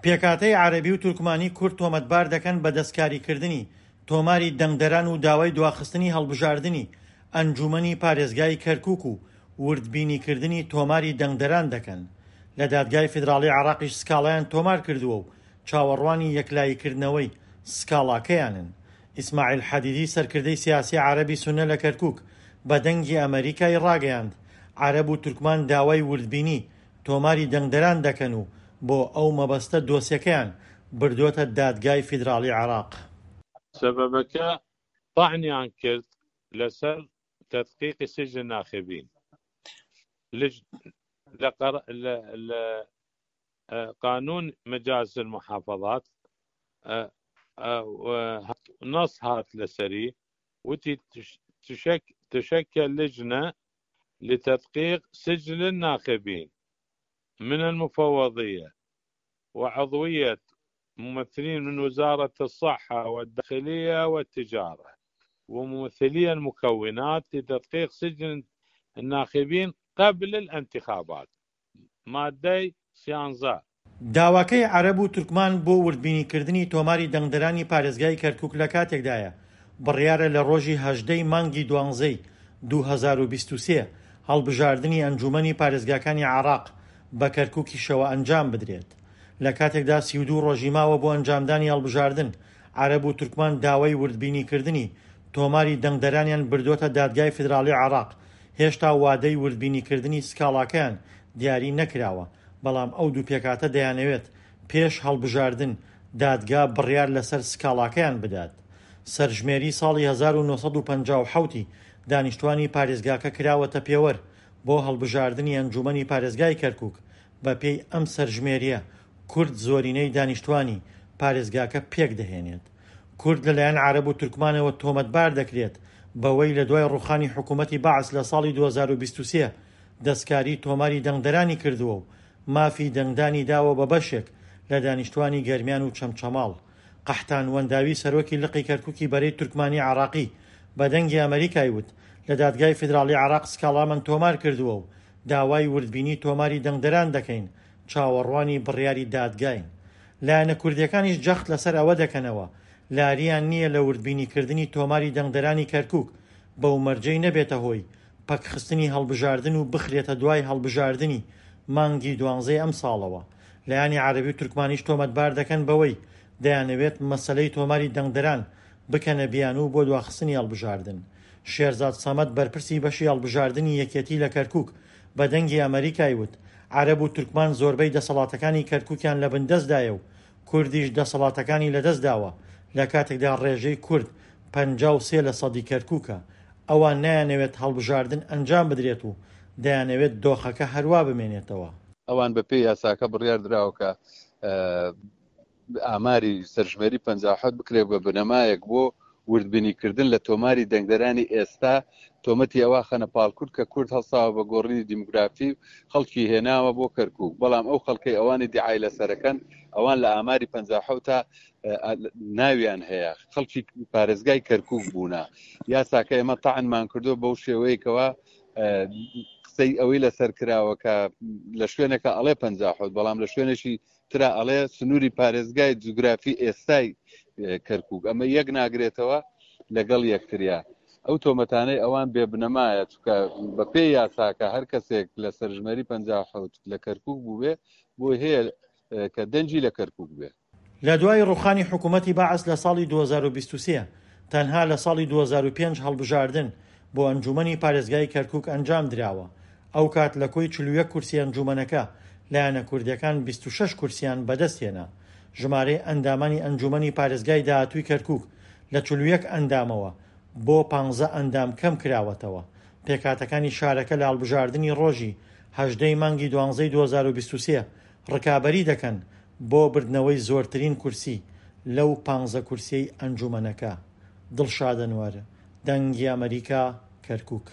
پێکهاتەی عەرەبی و تورکمانی کورد تۆمەتبار دەکەن بە دەستکاریکردنی تۆماری دەنگدەران و داوای دواخستنی هەڵبژاردنی ئەنجوومەنی پارێزگای کەرکووک و وردبینیکردنی تۆماری دەنگدەران دەکەن. لە دادگای فیدراڵی عێراقیش سکاڵایان تۆمارکردووە و چاوەڕوانی یەکلاییکردنەوەی سکاڵاکەیانن. ئیسماعیل حەدیدی سەرکردەی سیاسی عەرەبی سوننە لە کەرکووک بە دەنگی ئەمەریکای ڕاگەیاند، عەرەب و تورکمان داوای وردبینی تۆماری دەنگدەران دەکەن و بۆ ئەو مەبەستە دۆسیەکەیان بردۆتە دادگای فیدراڵی عێراق. سەبەبەکە تەعنیان کرد لەسەر تدقیقی سجل الناخبین لج لە قەر لە لە قانون مجالس المحافظات نص هات لەسەری وتی تشك تشكل لجنة لتدقيق سجل الناخبين من المفوضية وعضوية ممثلين من وزارة الصحة والداخلية والتجارة وممثلي المكونات لتدقيق سجل الناخبين قبل الانتخابات مادەی سیانزە. داواکەی عەرەب و تورکمان بۆ وردبینیکردنی تۆماری دەنگدەرانی پارێزگای کەرکوک لە کاتێکدایە، بڕیارە لە ڕۆژی 18 ی مانگی دوانزەی 2023 هەڵبژاردنی ئەنجوومەنی پارێزگاکانی عێراق بە کەرکوکیشەوە ئەنجام بدرێت. لە کاتێکدا 32 ڕۆژی ماوە بۆ ئەنجامدانی هەڵبژاردن، عەرەب و تورکمان داوای وردبینیکردنی تۆماری دەنگدەرانیان بردۆتە دادگای فیدراڵی عێراق، هێشتا وادەی وردبینیکردنی سکاڵاکەیان دیاری نەکراوە، بەڵام ئەو دوو پێکهاتە دەیانەوێت پێش هەڵبژاردن دادگا بڕیار لەسەر سکاڵاکەیان بدات. سەرژمێری ساڵی 1957 ی دانیشتوانی پارێزگاکە کراوەتە پێوەر بۆ هەڵبژاردنی ئەنجومەنی پارێزگای کەرکوک، بەپێی ئەم سەرژمێرییە کورد زۆرینەی دانیشتوانی پارێزگاکە پێکدەهێنێت. کورد لەلایەن عەرەب و تورکمانەوە تۆمەتبار دەکرێت بەوەی لە دوای ڕووخانی حکوومەتی بەعس لە ساڵی 2023 دەستکاری تۆماری دەنگدەرانی کردووە و مافی دەنگدانی داوە بە بەشێک لە دانیشتوانی گەرمیان و چەمچەماڵ. قەحتان وەنداوی سەرۆکی لقی کەرکوکی بەرەی تورکمانی عێراقی بە دەنگی ئەمەریکای وت، لە دادگای فیدراڵی عێراق سکاڵامان تۆمار کردووە و داوای وردبینی تۆماری دەنگدەران دەکەین، چاوەڕوانی بڕیاری دادگاین. لایەنە کوردییەکانیش جەخت لەسەر ئەوە دەکەنەوە، لارییان نییە لە وردبینیکردنی تۆماری دەنگدەرانی کەرکوک، بەو مەرجەی نەبێتە هۆی پەکخستنی هەڵبژاردن و بخرێتە دوای هەڵبژاردنی مانگی دوانزەی ئەمساڵەوە. لایەنی عەرەبی و تورکمانیش تۆمەتبار دەکەن بەوەی دەیانەوێت مەسەلەی تۆماری دەنگدەران بکەنە بیانوو بۆ دواخستنی هەڵبژاردن. شێرزاد سەمەد بەرپرسی بەشی هەڵبژاردنی یەکێتی لە کەرکوک بە دەنگی ئەمەریکای وت، عەرەب و تورکمان زۆربەی دەسەڵاتەکانی کەرکوکیان لە بندەستدایە و کوردیش دەسەڵاتەکانی لەدەستداوە، لە کاتێکدا ڕێژەی کورد 53 لە سەدی کەرکوکە، ئەوان نایانەوێت هەڵبژاردن ئەنجام بدرێت و دەیانەوێت دۆخەکە هەروا بمێنێتەوە. ئەوان بەپێی یاساکە بڕیار دراوە کە ئاماری سەرژمێری 57 بکرێت بە بنەمایەک بۆ وردبینیکردن لە تۆماری دەنگدەرانی ئێستا، تۆمەتی ئەوە خەنە پاڵ کورد کە کورد هەڵساوە بە گۆڕینی دیموگرافی و خەڵکی هێناوە بۆ کەرکوک، بەڵام ئەو خەڵکەی ئەوانی دیعای لەسەرەکەن ئەوان لە ئاماری 57 تا ناویان هەیە خەڵکی پارێزگای کەرکوک بوونە. یاساکە ئێمە تەعنمان کردو بەو شێوەیەکەوە قسەی ئەوەی لەسەر کراوە کە لە شوێنێکە ئەڵێ 57 بەڵام لە شوێنێکی ترا ئەڵێ سنووری پارێزگای جوگرافی ئێستای کەرکک ئەمە یەک ناگرێتەوە لەگەڵ یەکتریا ئەو تۆمەتانەی ئەوان بێ بنەمایە چکە بە پێی یاساکە هەر کەسێک لە سەرژمێری 57 لە کەرکک بووبێ بۆی هەیە کە دەنگی لە کەرکک بێ. لە دوای ڕوخانی حکومەتی بەعس لە ساڵی 2023، تەنها لە ساڵی 2005 هەڵبژاردن بۆ ئەنجومەنی پارێزگای کەرکوک ئەنجام دراوە، ئەوکات لە کۆی 41 کورسی ئەنجومەنەکە، لایەنە کوردیەکان 26 کورسیان بەدەستهێنا. ژمارەی ئەندامانی ئەنجومەنی پارێزگای داهاتووی کەرکوک لە 41 ئەندامەوە بۆ پانزە ئەندام کەم کراوەتەوە. پێکهاتەکانی شارەکە لە هەڵبژاردنی ڕۆژی 18 ی مانگی دوانزەی 2023 ڕکابەری دەکەن بۆ بردنەوەی زۆرترین کورسی لەو پانزە کورسیەی ئەنجومەنەکە. دڵشاد ئەنوەر، دەنگی ئەمەریکا، کەرکوک.